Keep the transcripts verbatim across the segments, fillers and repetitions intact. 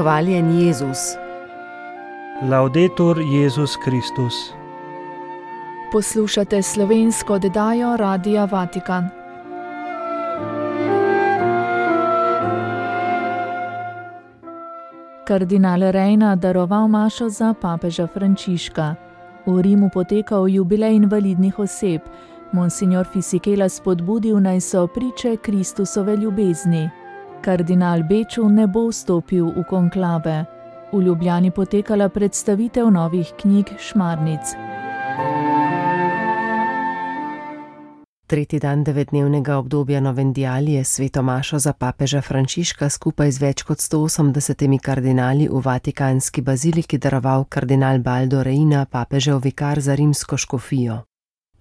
Hvaljen Jezus. Laudetur Jezus Kristus. Poslušate slovensko oddajo Radia Vatikan. Kardinal Reina daroval mašo za papeža Frančiška. V Rimu potekal jubilej invalidnih oseb. Monsignor Fisichella spodbudil, naj so priče Kristusove ljubezni. Kardinal Beču ne bo vstopil v konklave. V Ljubljani potekala predstavitev novih knjig Šmarnic. Tretji dan devetdnevnega obdobja Novendialije sveto mašo za papeža Frančiška skupaj z več kot sto osemdesetimi kardinali v vatikanski baziliki daroval kardinal Baldo Reina, papežev vikar za rimsko škofijo.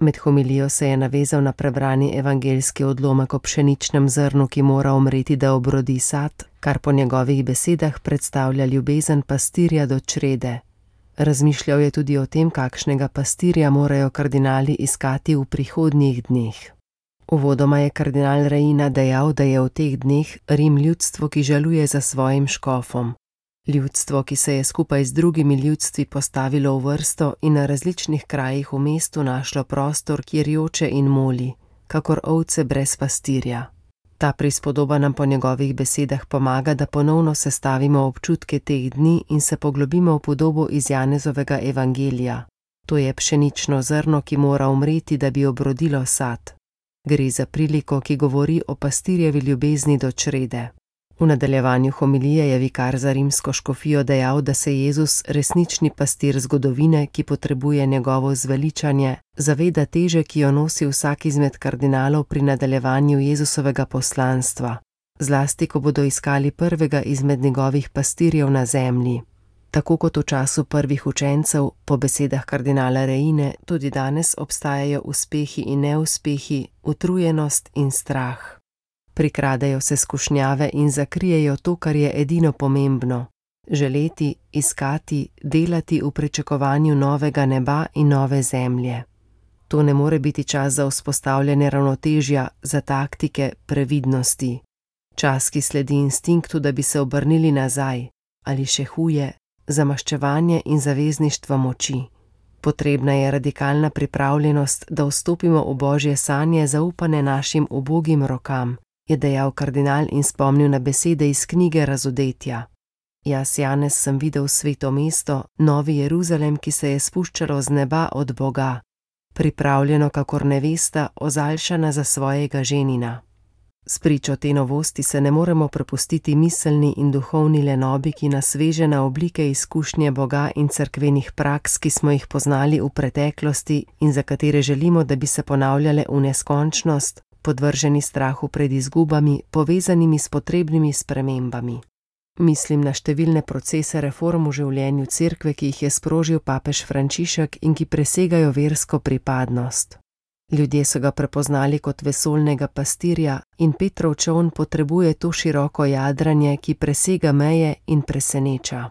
Med homilijo se je navezal na prebrani evangeljski odlomek o pšeničnem zrnu, ki mora umreti, da obrodi sad, kar po njegovih besedah predstavlja ljubezen pastirja do črede. Razmišljal je tudi o tem, kakšnega pastirja morajo kardinali iskati v prihodnjih dneh. Uvodoma je kardinal Reina dejal, da je v teh dneh Rim ljudstvo, ki žaluje za svojim škofom. Ljudstvo, ki se je skupaj z drugimi ljudstvi postavilo v vrsto in na različnih krajih v mestu našlo prostor, kjer joče in moli, kakor ovce brez pastirja. Ta prispodoba nam po njegovih besedah pomaga, da ponovno sestavimo občutke teh dni in se poglobimo v podobo iz Janezovega evangelija. To je pšenično zrno, ki mora umreti, da bi obrodilo sad. Gre za priliko, ki govori o pastirjevi ljubezni do črede. V nadaljevanju homilije je vikar za rimsko škofijo dejal, da se Jezus, resnični pastir zgodovine, ki potrebuje njegovo zveličanje, zaveda teže, ki jo nosi vsak izmed kardinalov pri nadaljevanju Jezusovega poslanstva, zlasti ko bodo iskali prvega izmed njegovih pastirjev na zemlji. Tako kot v času prvih učencev, po besedah kardinala Reine, tudi danes obstajajo uspehi in neuspehi, utrujenost in strah. Prikradejo se skušnjave in zakrijejo to, kar je edino pomembno. Želeti, iskati, delati v pričakovanju novega neba in nove zemlje. To ne more biti čas za vzpostavljanje ravnotežja, za taktike, previdnosti. Čas, ki sledi instinktu, da bi se obrnili nazaj, ali še huje, za maščevanje in zavezništvo moči. Potrebna je radikalna pripravljenost, da vstopimo v Božje sanje zaupane našim ubogim rokam, je dejal kardinal in spomnil na besede iz knjige Razodetja. Jaz, Janez, sem videl sveto mesto, Novi Jeruzalem, ki se je spuščalo z neba od Boga, pripravljeno kakor nevesta, ozaljšana za svojega ženina. S pričo te novosti se ne moremo prepustiti miselni in duhovni lenobi, ki nas veže na oblike izkušnje Boga in cerkvenih praks, ki smo jih poznali v preteklosti in za katere želimo, da bi se ponavljale v neskončnost, podvrženi strahu pred izgubami, povezanimi s potrebnimi spremembami. Mislim na številne procese reform v življenju cerkve, ki jih je sprožil papež Frančišek in ki presegajo versko pripadnost. Ljudje so ga prepoznali kot vesoljnega pastirja in Petrov čoln potrebuje to široko jadranje, ki presega meje in preseneča.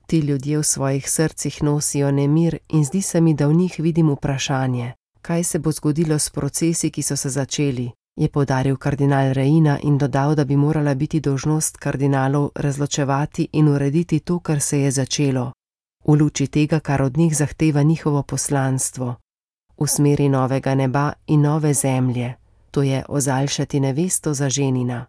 Ti ljudje v svojih srcih nosijo nemir in zdi se mi, da v njih vidim vprašanje. Kaj se bo zgodilo s procesi, ki so se začeli, je poudaril kardinal Reina in dodal, da bi morala biti dolžnost kardinalov razločevati in urediti to, kar se je začelo, v luči tega, kar od njih zahteva njihovo poslanstvo, v smeri novega neba in nove zemlje, to je ozaljšati nevesto za ženina.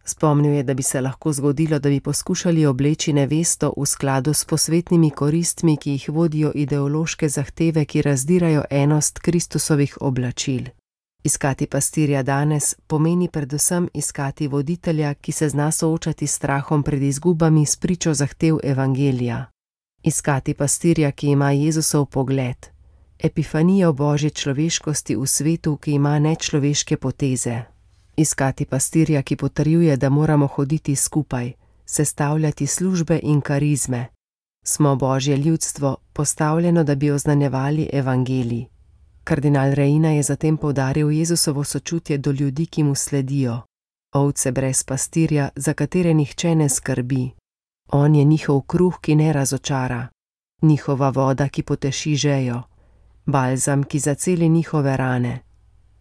Spomnil je, da bi se lahko zgodilo, da bi poskušali obleči nevesto v skladu s posvetnimi koristmi, ki jih vodijo ideološke zahteve, ki razdirajo enost Kristusovih oblačil. Iskati pastirja danes pomeni predvsem iskati voditelja, ki se zna soočati s strahom pred izgubami s pričo zahtev evangelija. Iskati pastirja, ki ima Jezusov pogled, epifanijo Božje človeškosti v svetu, ki ima nečloveške poteze. Iskati pastirja, ki potrjuje, da moramo hoditi skupaj, sestavljati službe in karizme. Smo Božje ljudstvo, postavljeno, da bi oznanjevali evangelij. Kardinal Reina je zatem poudaril Jezusovo sočutje do ljudi, ki mu sledijo. Ovce brez pastirja, za katere nihče ne skrbi. On je njihov kruh, ki ne razočara. Njihova voda, ki poteši žejo. Balzam, ki zaceli njihove rane.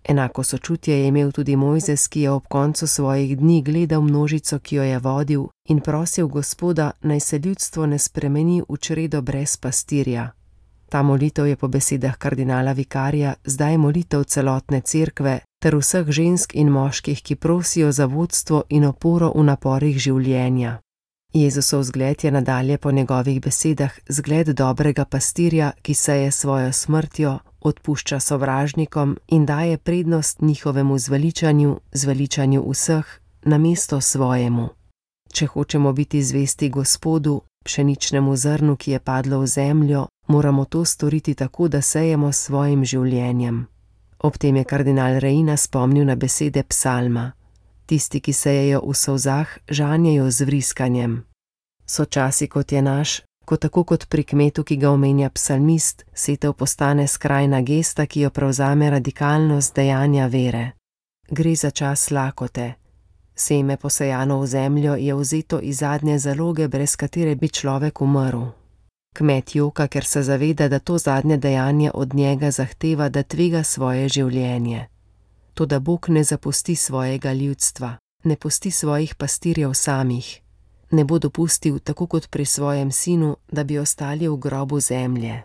Enako sočutje je imel tudi Mojzes, ki je ob koncu svojih dni gledal množico, ki jo je vodil, in prosil Gospoda, naj se ljudstvo ne spremeni v čredo brez pastirja. Ta molitev je po besedah kardinala vikarija zdaj molitev celotne cerkve ter vseh žensk in moških, ki prosijo za vodstvo in oporo v naporih življenja. Jezusov zgled je nadalje po njegovih besedah zgled dobrega pastirja, ki seje svojo smrtjo, odpušča sovražnikom in daje prednost njihovemu zveličanju, zveličanju vseh, namesto svojemu. Če hočemo biti zvesti Gospodu, pšeničnemu zrnu, ki je padlo v zemljo, moramo to storiti tako, da sejemo s svojim življenjem. Ob tem je kardinal Reina spomnil na besede psalma. Tisti, ki sejejo v solzah, žanjejo z vriskanjem. So časi, kot je naš, ko tako kot pri kmetu, ki ga omenja psalmist, setev postane skrajna gesta, ki jo prevzame radikalnost dejanja vere. Gre za čas lakote. Seme posejano v zemljo je vzeto iz zadnje zaloge, brez katere bi človek umrl. Kmet joka, ker se zaveda, da to zadnje dejanje od njega zahteva, da tvega svoje življenje. Toda Bog ne zapusti svojega ljudstva, ne pusti svojih pastirjev samih. Ne bo dopustil, tako kot pri svojem sinu, da bi ostali v grobu zemlje.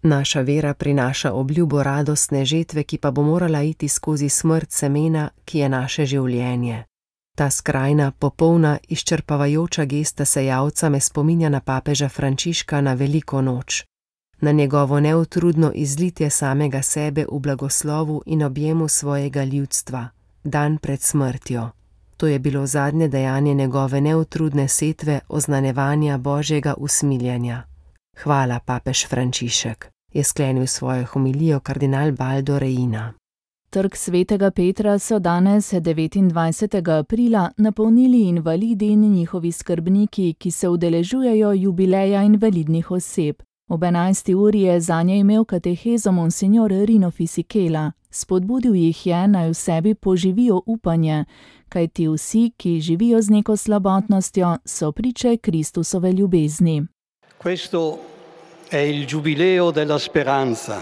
Naša vera prinaša obljubo radostne žetve, ki pa bo morala iti skozi smrt semena, ki je naše življenje. Ta skrajna, popolna, izčrpavajoča gesta sejalca me spominja na papeža Frančiška na veliko noč. Na njegovo neutrudno izlitje samega sebe v blagoslovu in objemu svojega ljudstva, dan pred smrtjo. To je bilo zadnje dejanje njegove neutrudne setve oznanjevanja Božjega usmiljanja. Hvala, papež Frančišek, je sklenil svojo homilijo kardinal Baldo Reina. Trg svetega Petra so danes, devetindvajsetega aprila, napolnili invalidi in njihovi skrbniki, ki se udeležujejo jubileja invalidnih oseb. Ob enajsti uri je zanje imel katehezo monsignor Rino Fisichella. Spodbudil jih je, naj v sebi poživijo upanje, kajti vsi, ki živijo z neko slabotnostjo, so priče Kristusove ljubezni. Questo è il giubileo della speranza,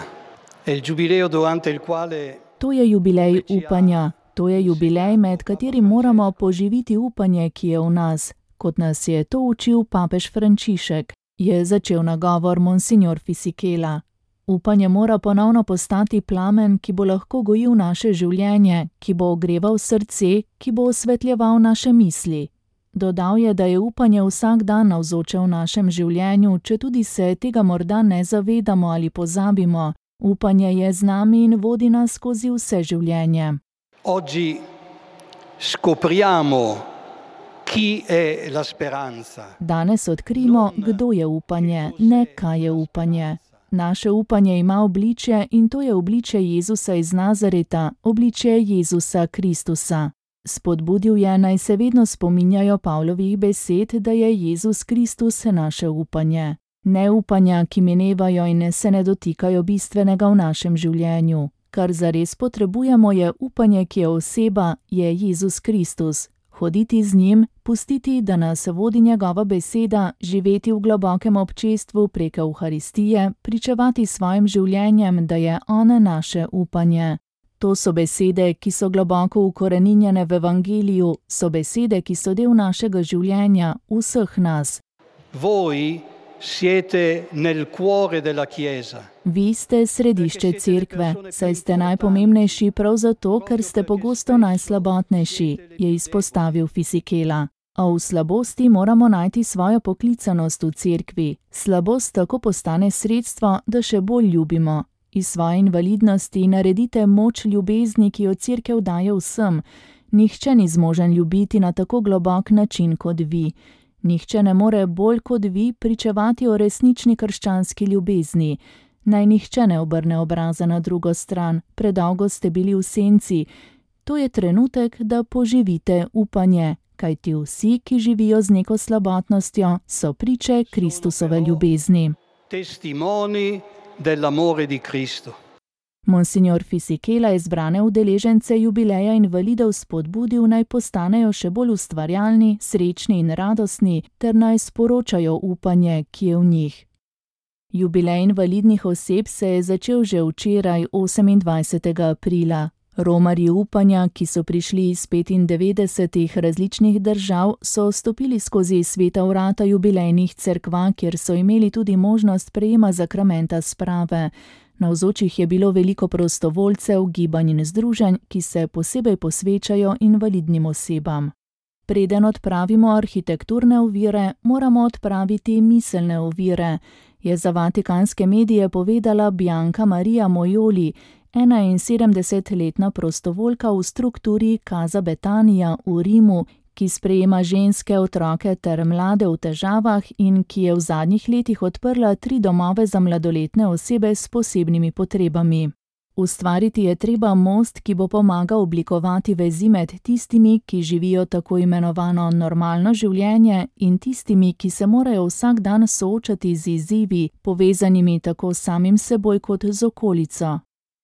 è il giubileo durante il quale To je jubilej upanja, to je jubilej, med katerim moramo poživiti upanje, ki je v nas, kot nas je to učil papež Frančišek, je začel nagovor monsignor Fisichella. Upanje mora ponovno postati plamen, ki bo lahko gojil naše življenje, ki bo ogreval srce, ki bo osvetljeval naše misli. Dodal je, da je upanje vsak dan navzoče v našem življenju, četudi se tega morda ne zavedamo ali pozabimo. Upanje je z nami in vodi nas skozi vse življenje. Oggi scopriamo chi è la speranza. Danes odkrimo, kdo je upanje, ne kaj je upanje. Naše upanje ima obličje in to je obličje Jezusa iz Nazareta, obličje Jezusa Kristusa. Spodbudil je, naj se vedno spominjajo Pavlovih besed, da je Jezus Kristus naše upanje. Ne upanja, ki minevajo in se ne dotikajo bistvenega v našem življenju. Kar zares potrebujemo je upanje, ki je oseba, je Jezus Kristus. Hoditi z njim, pustiti, da nas vodi njegova beseda, živeti v globokem občestvu prek Evharistije, pričevati svojim življenjem, da je on naše upanje. To so besede, ki so globoko ukoreninjene v Evangeliju, so besede, ki so del našega življenja, vseh nas. Voi siete nel cuore della Chiesa. Vi ste središče cerkve, saj ste najpomembnejši prav zato, ker ste pogosto najslabotnejši, je izpostavil Fisichella. A v slabosti moramo najti svojo poklicanost v cerkvi. Slabost tako postane sredstvo, da še bolj ljubimo. Iz svoje invalidnosti naredite moč ljubezni, ki jo cerkev daje vsem. Nihče ni zmožen ljubiti na tako globok način kot vi. Nihče ne more bolj kot vi pričevati o resnični krščanski ljubezni. Naj nihče ne obrne obraza na drugo stran, predolgo ste bili v senci. To je trenutek, da poživite upanje, kajti vsi, ki živijo z neko slabotnostjo, so priče Kristusove ljubezni. Testimoni dell'amore di Cristo. Monsignor Fisichella je zbrane udeležence jubileja invalidov spodbudil, naj postanejo še bolj ustvarjalni, srečni in radostni, ter naj sporočajo upanje, ki je v njih. Jubilej invalidnih oseb se je začel že včeraj, osemindvajsetega aprila. Romarji upanja, ki so prišli iz petindevetdesetih različnih držav, so stopili skozi sveta vrata jubilejnih cerkva, kjer so imeli tudi možnost prejema zakramenta sprave. Navzočih je bilo veliko prostovoljcev, gibanj in združenj, ki se posebej posvečajo invalidnim osebam. Preden odpravimo arhitekturne ovire, moramo odpraviti miselne ovire, je za vatikanske medije povedala Bianca Maria Mojoli, enainsedemdesetletna prostovoljka v strukturi Casa Betania v Rimu, ki sprejema ženske, otroke ter mlade v težavah in ki je v zadnjih letih odprla tri domove za mladoletne osebe s posebnimi potrebami. Ustvariti je treba most, ki bo pomagal oblikovati vezi med tistimi, ki živijo tako imenovano normalno življenje, in tistimi, ki se morajo vsak dan soočati z izzivi, povezanimi tako s samim seboj kot z okolico.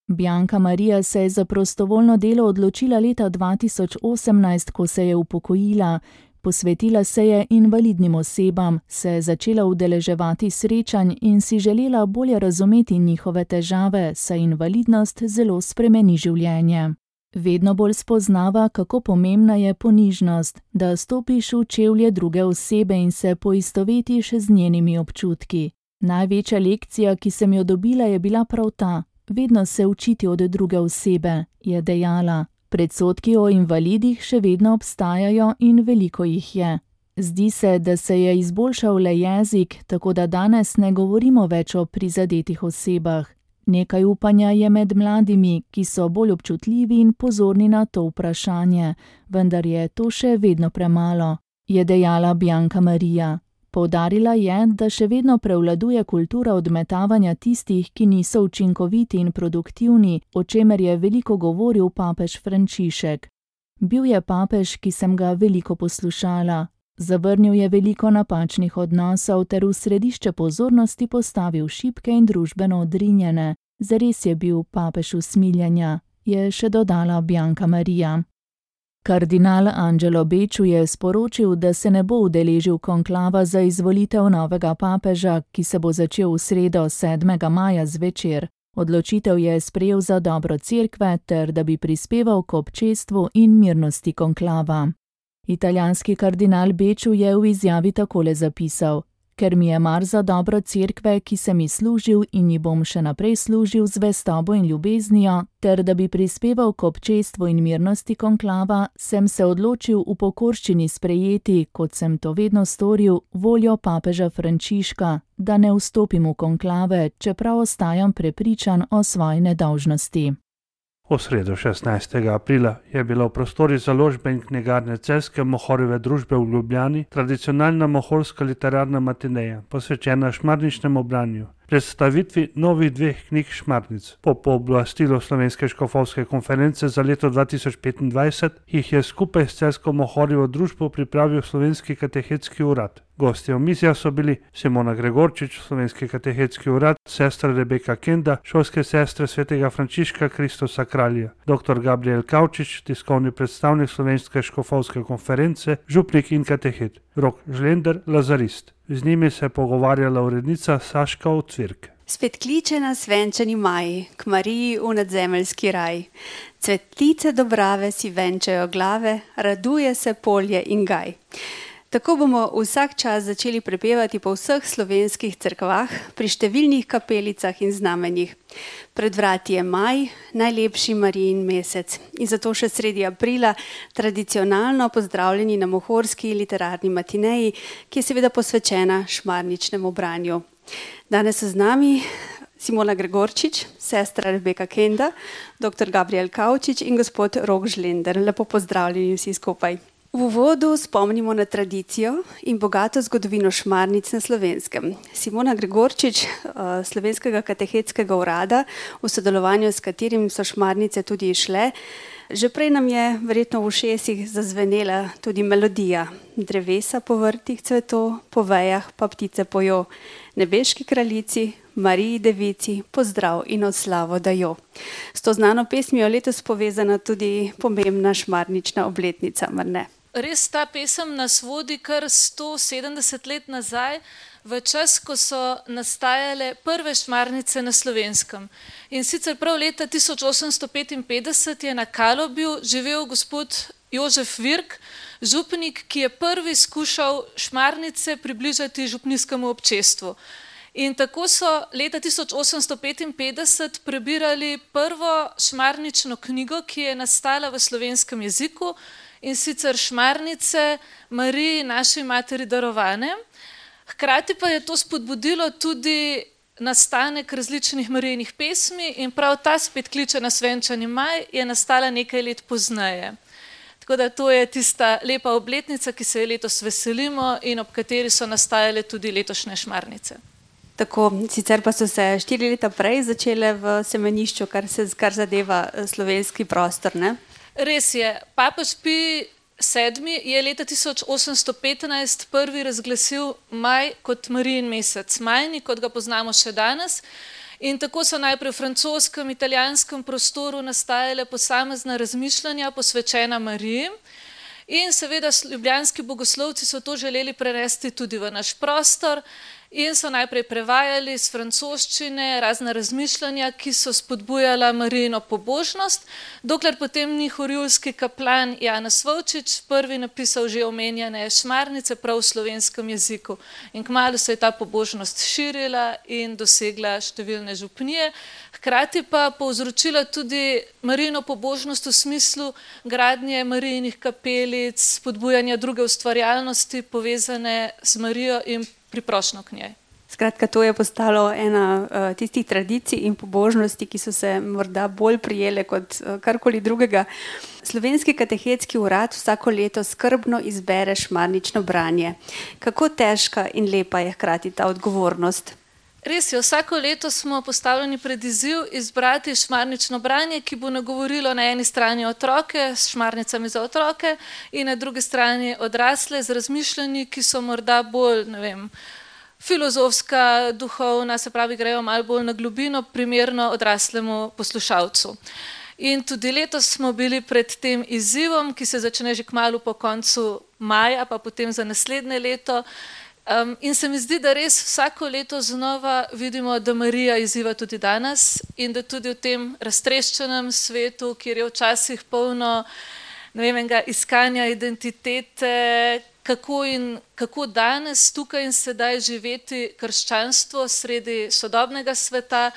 Bianca Maria se je za prostovoljno delo odločila leta dva tisoč osemnajst, ko se je upokojila. Posvetila se je invalidnim osebam, se je začela udeleževati srečanj in si želela bolje razumeti njihove težave, saj invalidnost zelo spremeni življenje. Vedno bolj spoznava, kako pomembna je ponižnost, da stopiš v čevlje druge osebe in se poistovetiš z njenimi občutki. Največja lekcija, ki sem jo dobila, je bila prav ta: vedno se učiti od druge osebe, je dejala. Predsodki o invalidih še vedno obstajajo in veliko jih je. Zdi se, da se je izboljšal le jezik, tako da danes ne govorimo več o prizadetih osebah. Nekaj upanja je med mladimi, ki so bolj občutljivi in pozorni na to vprašanje, vendar je to še vedno premalo, je dejala Bianca Maria. Poudarila je, da še vedno prevladuje kultura odmetavanja tistih, ki niso učinkoviti in produktivni, o čemer je veliko govoril papež Frančišek. Bil je papež, ki sem ga veliko poslušala. Zavrnil je veliko napačnih odnosov ter v središče pozornosti postavil šibke in družbeno odrinjene. Zares je bil papež usmiljenja, je še dodala Bianca Maria. Kardinal Angelo Becciu je sporočil, da se ne bo udeležil konklava za izvolitev novega papeža, ki se bo začel v sredo sedmega maja zvečer. Odločitev je sprejel za dobro cerkve ter da bi prispeval k občestvu in mirnosti konklava. Italijanski kardinal Becciu je v izjavi takole zapisal: ker mi je mar za dobro cerkve, ki sem ji služil in ji bom še naprej služil z zvestobo in ljubeznijo, ter da bi prispeval k občestvu in mirnosti konklava, sem se odločil v pokorščini sprejeti, kot sem to vedno storil, voljo papeža Frančiška, da ne vstopim v konklave, čeprav ostajam prepričan o svoji nedolžnosti. V sredo šestnajstega aprila je bila v prostorih založbe in knjigarne Celjske Mohorjeve družbe v Ljubljani tradicionalna mohorska literarna matineja, posvečena šmarničnemu branju. Predstavitvi novih dveh knjig Šmarnic. Po pooblastilu Slovenske škofovske konference za leto dva tisoč petindvajset jih je skupaj s Celjsko Mohorjevo družbo pripravil Slovenski katehetski urad. Gostje omizja so bili Simona Gregorčič, Slovenski katehetski urad, sestra Rebeka Kenda, šolske sestre svetega Frančiška Kristusa Kralja, doktor Gabriel Kavčič, tiskovni predstavnik Slovenske škofovske konference, župnik in katehet, Rok Žlender, lazarist. Z njimi se je pogovarjala urednica Saška Ocvirk. Spet kliče nas venčani maj, k Mariji v nadzemeljski raj. Cvetlice dobrave si venčajo glave, raduje se polje in gaj. Tako bomo vsak čas začeli prepevati po vseh slovenskih cerkvah, pri številnih kapelicah in znamenjih. Pred vrati je maj, najlepši Marijin mesec. In zato še sredi aprila tradicionalno pozdravljeni na mohorski literarni matineji, ki je seveda posvečena šmarničnemu branju. Danes so z nami Simona Gregorčič, sestra Rebeka Kenda, doktor Gabriel Kavčič in gospod Rok Žlender. Lepo pozdravljeni vsi skupaj. V uvodu spomnimo na tradicijo in bogato zgodovino Šmarnic na Slovenskem. Simona Gregorčič, Slovenskega katehetskega urada, v sodelovanju s katerim so Šmarnice tudi išle, že prej nam je verjetno v ušesih zazvenela tudi melodija. Drevesa po vrtih cveto, po vejah pa ptice pojo. Nebeški kraljici, Mariji devici, pozdrav in oslavo dajo. S to znano pesmijo letos povezana tudi pomembna šmarnična obletnica, mar ne? Res ta pesem nas vodi kar sto sedemdeset let nazaj v čas, ko so nastajale prve šmarnice na Slovenskem. In sicer prav leta tisoč osemsto petinpetdeset je na Kalobju živel gospod Jožef Virk, župnik, ki je prvi skušal šmarnice približati župnijskemu občestvu. In tako so leta tisoč osemsto petinpetdeset prebirali prvo šmarnično knjigo, ki je nastala v slovenskem jeziku, in sicer Šmarnice Mariji naši materi darovane. Hkrati pa je to spodbudilo tudi nastanek različnih Marijinih pesmi in prav ta spet kliče na Svenčani maj je nastala nekaj let pozneje. Tako da to je tista lepa obletnica, ki se je letos veselimo in ob kateri so nastajale tudi letošnje šmarnice. Tako, sicer pa so se štiri leta prej začele v semenišču, kar se kar zadeva slovenski prostor, ne? Res je. Papež Pij sedmi je leta tisoč osemsto petnajst prvi razglasil maj kot Marijin mesec, majni, kot ga poznamo še danes. In tako so najprej v francoskem, italijanskem prostoru nastajale posamezna razmišljanja posvečena Mariji. In seveda ljubljanski bogoslovci so to želeli prenesti tudi v naš prostor in so najprej prevajali iz francoščine razna razmišljanja, ki so spodbujala Marijino pobožnost, dokler potem ni horjulski kaplan Janez Vovčič prvi napisal že omenjene šmarnice prav v slovenskem jeziku. In kmalu se je ta pobožnost širila in dosegla številne župnije, hkrati pa povzročila tudi Marijino pobožnost v smislu gradnje Marijinih kapelic, spodbujanja druge ustvarjalnosti povezane z Marijo in priprošnjo k njej. Skratka, to je postalo ena uh, tistih tradicij in pobožnosti, ki so se morda bolj prijele kot uh, karkoli drugega. Slovenski katehetski urad vsako leto skrbno izbere šmarnično branje. Kako težka in lepa je hkrati ta odgovornost? Res je, vsako leto smo postavljeni pred izziv izbrati šmarnično branje, ki bo nagovorilo na eni strani otroke s šmarnicami za otroke in na drugi strani odrasle z razmišljanji, ki so morda bolj, ne vem, filozofska, duhovna, se pravi, grejo malo bolj na globino, primerno odraslemu poslušalcu. In tudi letos smo bili pred tem izzivom, ki se začne že kmalu po koncu maja, pa potem za naslednje leto. Um, in se mi zdi, da res vsako leto znova vidimo, da Marija izziva tudi danes in da tudi v tem raztreščenem svetu, kjer je včasih polno, ne vem, enega iskanja identitete, kako in kako danes tukaj in sedaj živeti krščanstvo sredi sodobnega sveta,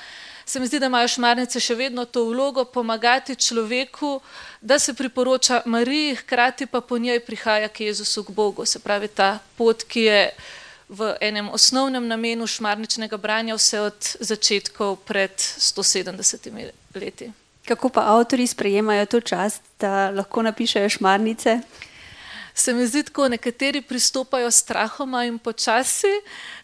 se mi zdi, da imajo šmarnice še vedno to vlogo pomagati človeku, da se priporoča Mariji, hkrati pa po njej prihaja k Jezusu, k Bogu. Se pravi, ta pot, ki je v enem osnovnem namenu šmarničnega branja vse od začetkov pred sto sedemdesetimi leti. Kako pa avtorji sprejemajo to čast, da lahko napišejo šmarnice? Se mi zdi tako, nekateri pristopajo strahoma in počasi,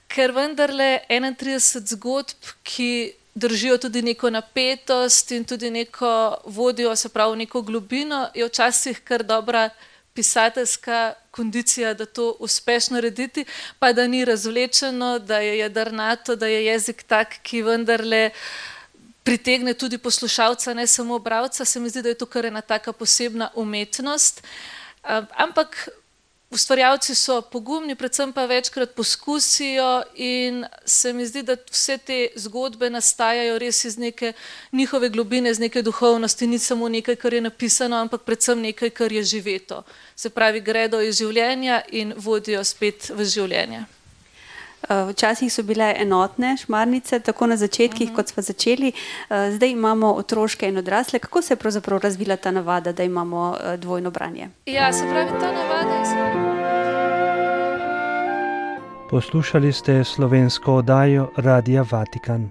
ker vendarle enaintrideset zgodb, ki držijo tudi neko napetost in tudi neko vodijo, se pravi neko globino, je včasih kar dobra pisateljska kondicija, da to uspeš narediti, pa da ni razvlečeno, da je jedrnato, da je jezik tak, ki vendarle pritegne tudi poslušalca, ne samo bralca. Se mi zdi, da je to kar ena taka posebna umetnost. Ampak ustvarjalci so pogumni, predvsem pa večkrat poskusijo in se mi zdi, da vse te zgodbe nastajajo res iz neke njihove globine, iz neke duhovnosti, ni samo nekaj, kar je napisano, ampak predvsem nekaj, kar je živeto. Se pravi, gredo iz življenja in vodijo spet v življenje. Včasih so bile enotne šmarnice, tako na začetkih, uh-huh. kot smo začeli. Zdaj imamo otroške in odrasle. Kako se je pravzaprav razvila ta navada, da imamo dvojno branje? Ja, se pravi, ta navada je... Poslušali ste slovensko oddajo Radia Vatikan.